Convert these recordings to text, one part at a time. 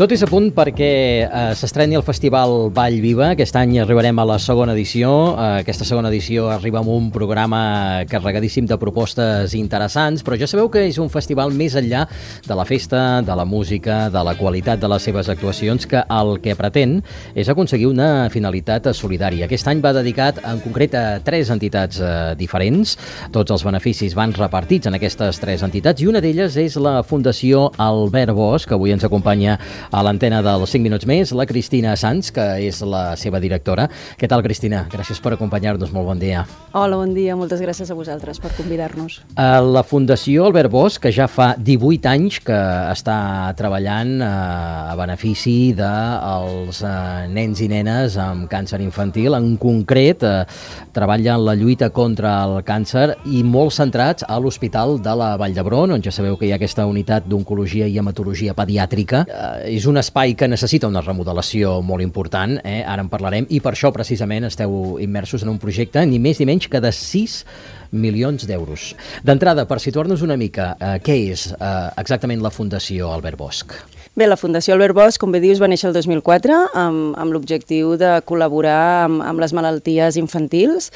Tot és a punt perquè s'estreni el Festival Vall Viva. Aquest any arribarem a la segona edició. Aquesta segona edició arriba amb un programa carregadíssim de propostes interessants, però ja sabeu que és un festival més enllà de la festa, de la música, de la qualitat de les seves actuacions, que el que pretén és aconseguir una finalitat solidària. Aquest any va dedicat en concret a 3 entitats diferents. Tots els beneficis van repartits en aquestes 3 entitats i una d'elles és la Fundació Albert Bosch, que avui ens acompanya a l'antena dels 5 minuts més, la Cristina Sanz, que és la seva directora. Què tal, Cristina? Gràcies per acompanyar-nos. Molt bon dia. Hola, bon dia. Moltes gràcies a vosaltres per convidar-nos. La Fundació Albert Bosch, que ja fa 18 anys que està treballant a benefici dels nens i nenes amb càncer infantil. En concret, treballa en la lluita contra el càncer i molt centrats a l'Hospital de la Vall d'Hebron, on ja sabeu que hi ha aquesta unitat d'oncologia i hematologia pediàtrica. És un espai que necessita una remodelació molt important, ara en parlarem, i per això precisament esteu immersos en un projecte ni més ni menys que de 6 milions d'euros. D'entrada, per situar-nos una mica, què és exactament la Fundació Albert Bosch? Bé, la Fundació Albert Bosch, com bé dius, va néixer el 2004 amb l'objectiu de col·laborar amb les malalties infantils.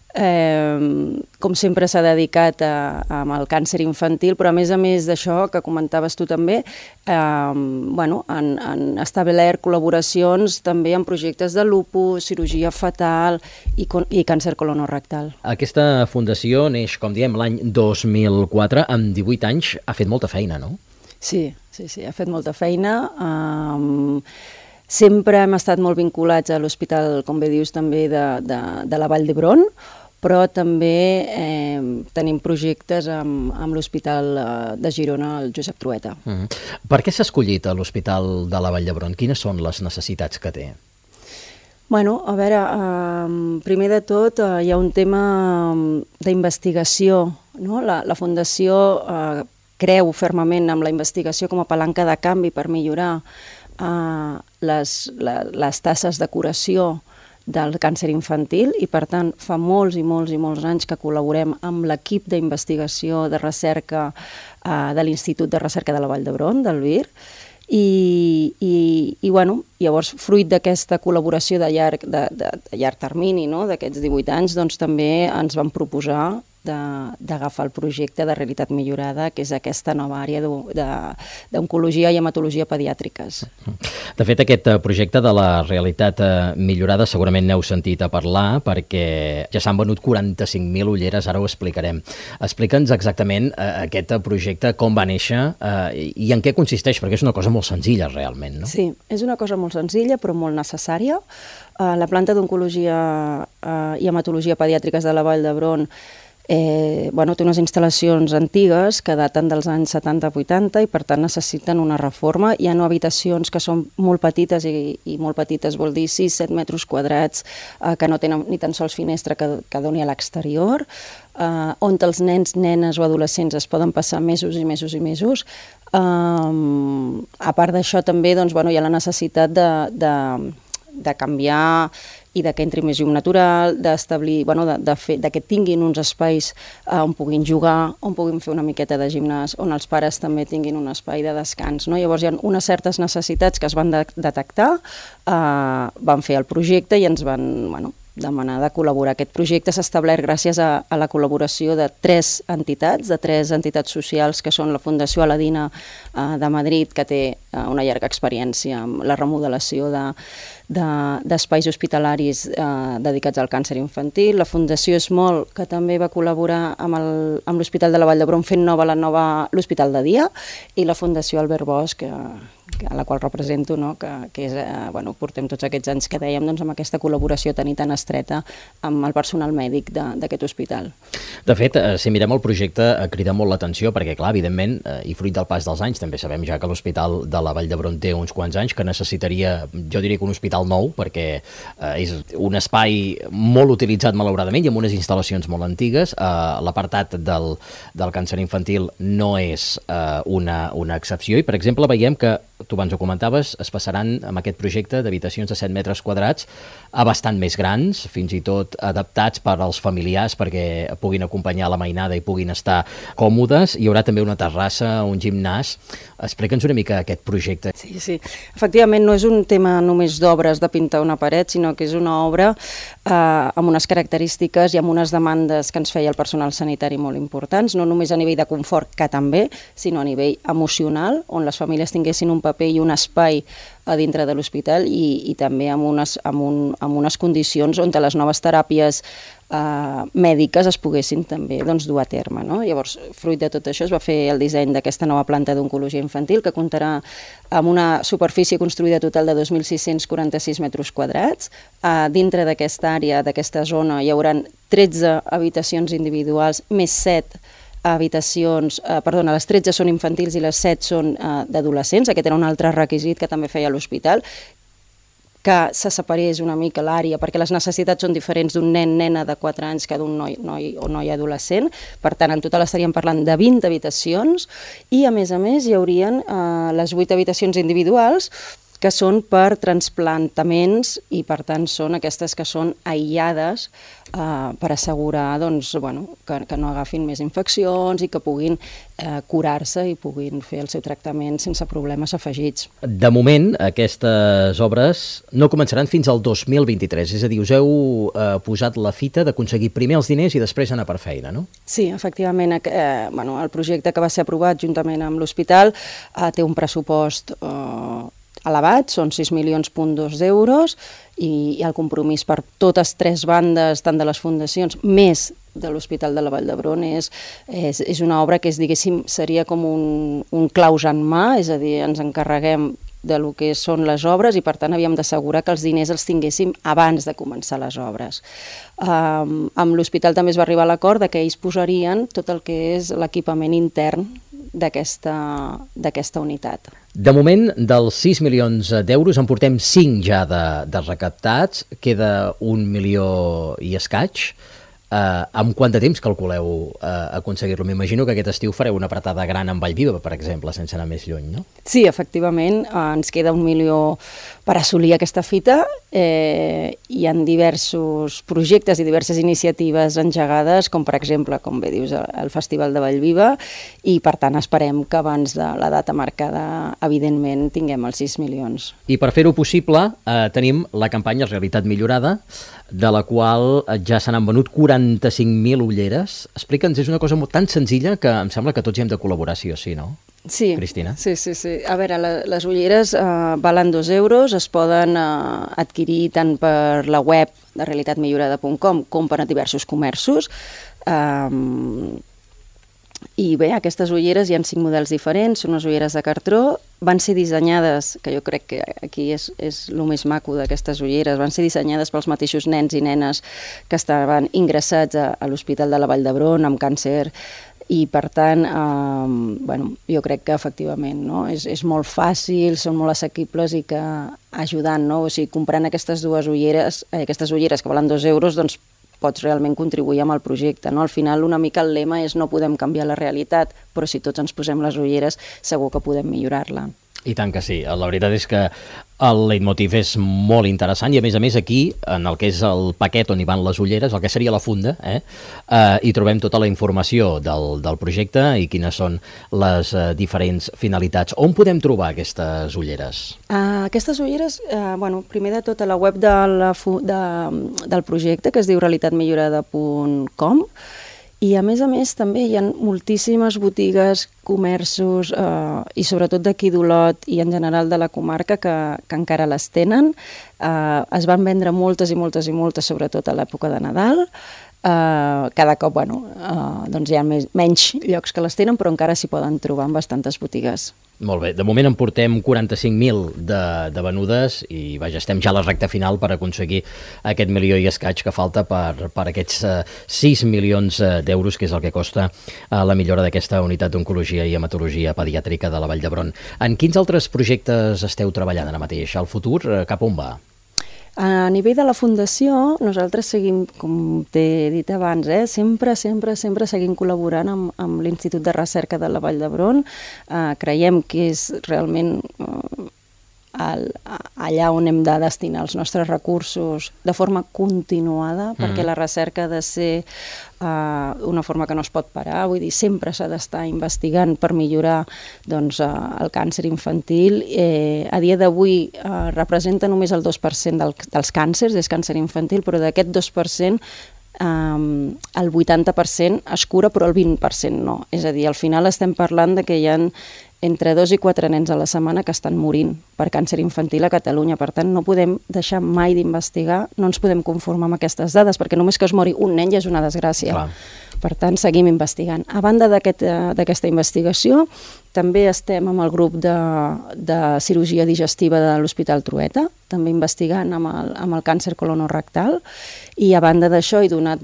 Com sempre s'ha dedicat amb el càncer infantil, però a més d'això, que comentaves tu també, han establert col·laboracions també en projectes de lupus, cirurgia fetal i càncer colonorectal. Aquesta fundació neix, com diem, l'any 2004, amb 18 anys ha fet molta feina, no? Sí, ha fet molta feina. Sempre hem estat molt vinculats a l'hospital, com bé dius, també de la Vall d'Hebron, però també tenim projectes amb l'Hospital de Girona, el Josep Trueta. Per què s'ha escollit l'Hospital de la Vall d'Hebron? Quines són les necessitats que té? Bueno, a veure, primer de tot hi ha un tema d'investigació, no? La Fundació creu fermament en la investigació com a palanca de canvi per millorar les tasses de curació del càncer infantil i, per tant, fa molts i molts anys que col·laborem amb l'equip d'investigació de recerca de l'Institut de Recerca de la Vall d'Hebron, del VIR, i llavors, fruit d'aquesta col·laboració de llarg termini, no?, d'aquests 18 anys, doncs també ens van proposar d'agafar el projecte de realitat millorada, que és aquesta nova àrea d'oncologia i hematologia pediàtriques. De fet, aquest projecte de la realitat millorada segurament n'heu sentit a parlar, perquè ja s'han venut 45.000 ulleres, ara ho explicarem. Explica'ns exactament aquest projecte, com va néixer i en què consisteix, perquè és una cosa molt senzilla realment, no? Sí, és una cosa molt senzilla però molt necessària. La planta d'oncologia i hematologia pediàtriques de la Vall d'Hebron té unes instal·lacions antigues que daten dels anys 70-80 i per tant necessiten una reforma. Hi ha habitacions que són molt petites i molt petites vol dir 6-7 metres quadrats que no tenen ni tan sols finestra que doni a l'exterior, on els nens, nenes o adolescents es poden passar mesos i mesos i mesos. A part d'això també hi ha la necessitat de canviar i que entri més llum natural, d'establir, que tinguin uns espais on puguin jugar, on puguin fer una miqueta de gimnàs, on els pares també tinguin un espai de descans, no? Llavors hi ha unes certes necessitats que es van detectar, van fer el projecte i ens van demanar de col·laborar. Aquest projecte s'ha establert gràcies a la col·laboració de 3 entitats socials, que són la Fundació Aladina de Madrid, que té una llarga experiència amb la remodelació d'espais hospitalaris dedicats al càncer infantil, la Fundació Esmol, que també va col·laborar amb l'Hospital de la Vall d'Hebron fent l'Hospital de Dia, i la Fundació Albert Bosch, a la qual represento, que és, portem tots aquests anys que dèiem amb aquesta col·laboració tan i tan estreta amb el personal mèdic d'aquest hospital. De fet, si mirem el projecte, crida molt l'atenció perquè, clar, evidentment, i fruit del pas dels anys, també sabem ja que l'Hospital de la Vall d'Hebron té uns quants anys, que necessitaria, jo diria que un hospital nou, perquè és un espai molt utilitzat malauradament i amb unes instal·lacions molt antigues. L'apartat del càncer infantil no és una excepció i, per exemple, veiem que tu abans ho comentaves, es passaran amb aquest projecte d'habitacions de 7 metres quadrats a bastant més grans, fins i tot adaptats per als familiars perquè puguin acompanyar la mainada i puguin estar còmodes. Hi haurà també una terrassa, un gimnàs. Explica'ns una mica aquest projecte. Sí. Efectivament, no és un tema només d'obres de pintar una paret, sinó que és una obra amb unes característiques i amb unes demandes que ens feia el personal sanitari molt importants, no només a nivell de confort, que també, sinó a nivell emocional, on les famílies tinguessin un paper i un espai a dintre de l'hospital i també amb unes condicions on les noves teràpies mèdiques es poguessin també dur a terme. No? Llavors, fruit de tot això, es va fer el disseny d'aquesta nova planta d'oncologia infantil que comptarà amb una superfície construïda total de 2.646 metres quadrats. Dintre d'aquesta àrea, d'aquesta zona, hi haurà 13 habitacions individuals més 7 habitacions, les 13 són infantils i les 7 són d'adolescents. Aquest era un altre requisit que també feia l'hospital, que se separés una mica l'àrea, perquè les necessitats són diferents d'un nena de 4 anys que d'un noi o noia adolescent. Per tant, en total estaríem parlant de 20 habitacions i, a més, hi haurien les 8 habitacions individuals que són per transplantaments i, per tant, són aquestes que són aïllades per assegurar que no agafin més infeccions i que puguin curar-se i puguin fer el seu tractament sense problemes afegits. De moment, aquestes obres no començaran fins al 2023, és a dir, us heu posat la fita d'aconseguir primer els diners i després anar per feina, no? Sí, efectivament. El projecte que va ser aprovat juntament amb l'hospital té un pressupost elevat, són 6,2 milions d'euros i el compromís per totes 3 bandes, tant de les fundacions, més de l'Hospital de la Vall d'Hebron, és una obra que seria com un claus en mà, és a dir, ens encarreguem de lo que són les obres i, per tant, havíem d'assegurar que els diners els tinguéssim abans de començar les obres. Amb l'hospital també es va arribar a l'acord que ells posarien tot el que és l'equipament intern d'aquesta unitat. De moment, dels 6 milions d'euros en portem 5 ja de recaptats, queda 1 milió i escaig. Amb quant de temps calculeu aconseguir-lo? M'imagino que aquest estiu fareu una apretada gran amb Vallviva, per exemple, sense anar més lluny, no? Sí, efectivament, ens queda 1 milió per assolir aquesta fita. Hi ha diversos projectes i diverses iniciatives engegades, com per exemple, com bé dius, el Festival de Vallviva, i per tant esperem que abans de la data marcada, evidentment, tinguem els 6 milions. I per fer-ho possible tenim la campanya Realitat Millorada, de la qual ja se n'han venut 45.000 ulleres. Explica'ns, és una cosa tan senzilla que em sembla que tots hi hem de col·laborar sí o sí, no? Sí, Cristina? Sí. A veure, les ulleres valen 2 euros, es poden adquirir tant per la web de realitatmillorada.com com per a diversos comerços. I bé, aquestes ulleres hi ha 5 models diferents, són unes ulleres de cartró, van ser dissenyades, que jo crec que aquí és el més maco d'aquestes ulleres, van ser dissenyades pels mateixos nens i nenes que estaven ingressats a l'Hospital de la Vall d'Hebron amb càncer i, per tant, jo crec que efectivament és molt fàcil, són molt assequibles i que ajudant, o sigui, comprant aquestes ulleres que valen 2 euros, doncs pots realment contribuir amb el projecte. Al final, una mica el lema és no podem canviar la realitat, però si tots ens posem les ulleres, segur que podem millorar-la. I tant que sí. La veritat és que el leitmotiv és molt interessant i, a més, aquí, en el que és el paquet on hi van les ulleres, el que seria la funda, hi trobem tota la informació del projecte i quines són les diferents finalitats. On podem trobar aquestes ulleres? Aquestes ulleres, primer de tot a la web del projecte, que es diu realitatmillorada.com, i a més també hi ha moltíssimes botigues, comerços i sobretot d'aquí d'Olot i en general de la comarca que encara les tenen. Es van vendre moltes, sobretot a l'època de Nadal. Cada cop doncs hi ha menys llocs que les tenen, però encara s'hi poden trobar en bastantes botigues. Molt bé, de moment en portem 45.000 de venudes i estem ja a la recta final per aconseguir aquest milió i escaig que falta per aquests 6 milions d'euros, que és el que costa la millora d'aquesta unitat d'oncologia i hematologia pediàtrica de la Vall d'Hebron. En quins altres projectes esteu treballant ara mateix? El futur cap on va? A nivell de la Fundació, nosaltres seguim, com t'he dit abans, sempre seguim col·laborant amb l'Institut de Recerca de la Vall d'Hebron. Creiem que és realment allà on hem de destinar els nostres recursos de forma continuada, perquè la recerca ha de ser una forma que no es pot parar, vull dir, sempre s'ha d'estar investigant per millorar doncs, el càncer infantil. A dia d'avui representa només el 2% dels càncers, és càncer infantil, però d'aquest 2%, el 80% es cura, però el 20% no. És a dir, al final estem parlant de que hi ha entre 2 i 4 nens a la setmana que estan morint per càncer infantil a Catalunya. Per tant, no podem deixar mai d'investigar, no ens podem conformar amb aquestes dades, perquè només que es mori un nen ja és una desgràcia. Clar. Per tant, seguim investigant. A banda d'aquesta investigació, també estem amb el grup de cirurgia digestiva de l'Hospital Trueta, també investigant amb el càncer colonorectal, i a banda d'això, i donat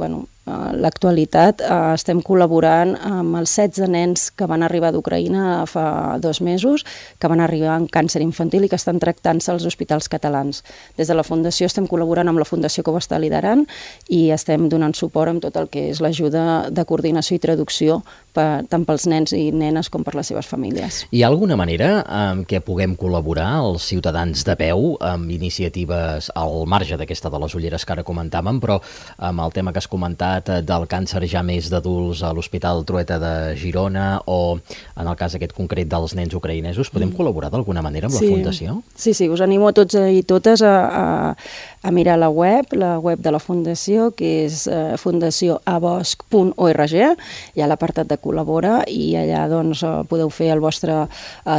l'actualitat, estem col·laborant amb els 16 nens que van arribar d'Ucraïna fa 2 mesos, que van arribar amb càncer infantil i que estan tractant-se als hospitals catalans. Des de la Fundació estem col·laborant amb la Fundació que ho està liderant i estem donant suport amb tot el que és l'ajuda de coordinació i traducció tant pels nens i nenes com per les seves famílies. Hi ha alguna manera en què puguem col·laborar els ciutadans de peu amb iniciatives al marge d'aquesta de les ulleres que ara comentàvem, però amb el tema que has comentat del càncer ja més d'adults a l'Hospital Trueta de Girona o en el cas aquest concret dels nens ucraïnesos, podem col·laborar d'alguna manera amb la Fundació? Sí, us animo a tots i totes a mirar la web de la Fundació, que és fundacioabosc.org, hi ha l'apartat de col·labora i allà doncs, podeu fer el vostre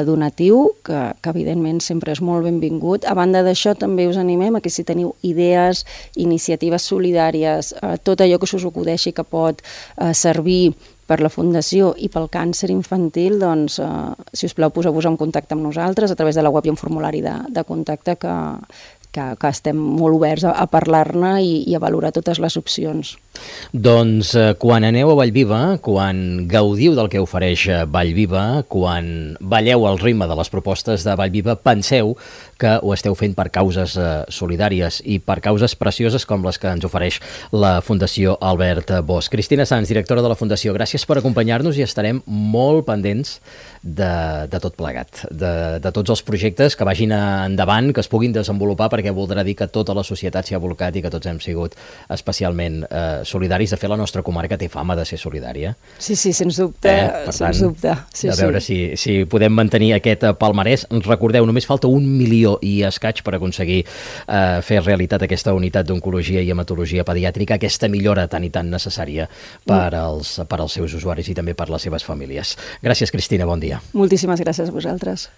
donatiu, que evidentment sempre és molt benvingut. A banda d'això, també us animem a que si teniu idees, iniciatives solidàries, tot allò que us acudeixi que pot servir per la Fundació i pel càncer infantil, doncs, si us plau, poseu-vos en contacte amb nosaltres. A través de la web hi ha un formulari de contacte que estem molt oberts a parlar-ne i a valorar totes les opcions. Doncs quan aneu a Vallviva, quan gaudiu del que ofereix Vallviva, quan balleu al ritme de les propostes de Vallviva, penseu que ho esteu fent per causes solidàries i per causes precioses com les que ens ofereix la Fundació Albert Bosch. Cristina Sans, directora de la Fundació, gràcies per acompanyar-nos i estarem molt pendents de tot plegat, de tots els projectes que vagin endavant, que es puguin desenvolupar, perquè voldrà dir que tota la societat s'hi ha volcat i que tots hem sigut especialment solidaris. De fet, la nostra comarca té fama de ser solidària. Sí, sens dubte. Sens dubte. Sí, a veure si podem mantenir aquest palmarès. Recordeu, només falta 1 milió i escaig per aconseguir fer realitat aquesta unitat d'oncologia i hematologia pediàtrica, aquesta millora tan i tan necessària per als seus usuaris i també per les seves famílies. Gràcies, Cristina, bon dia. Moltíssimes gràcies a vosaltres.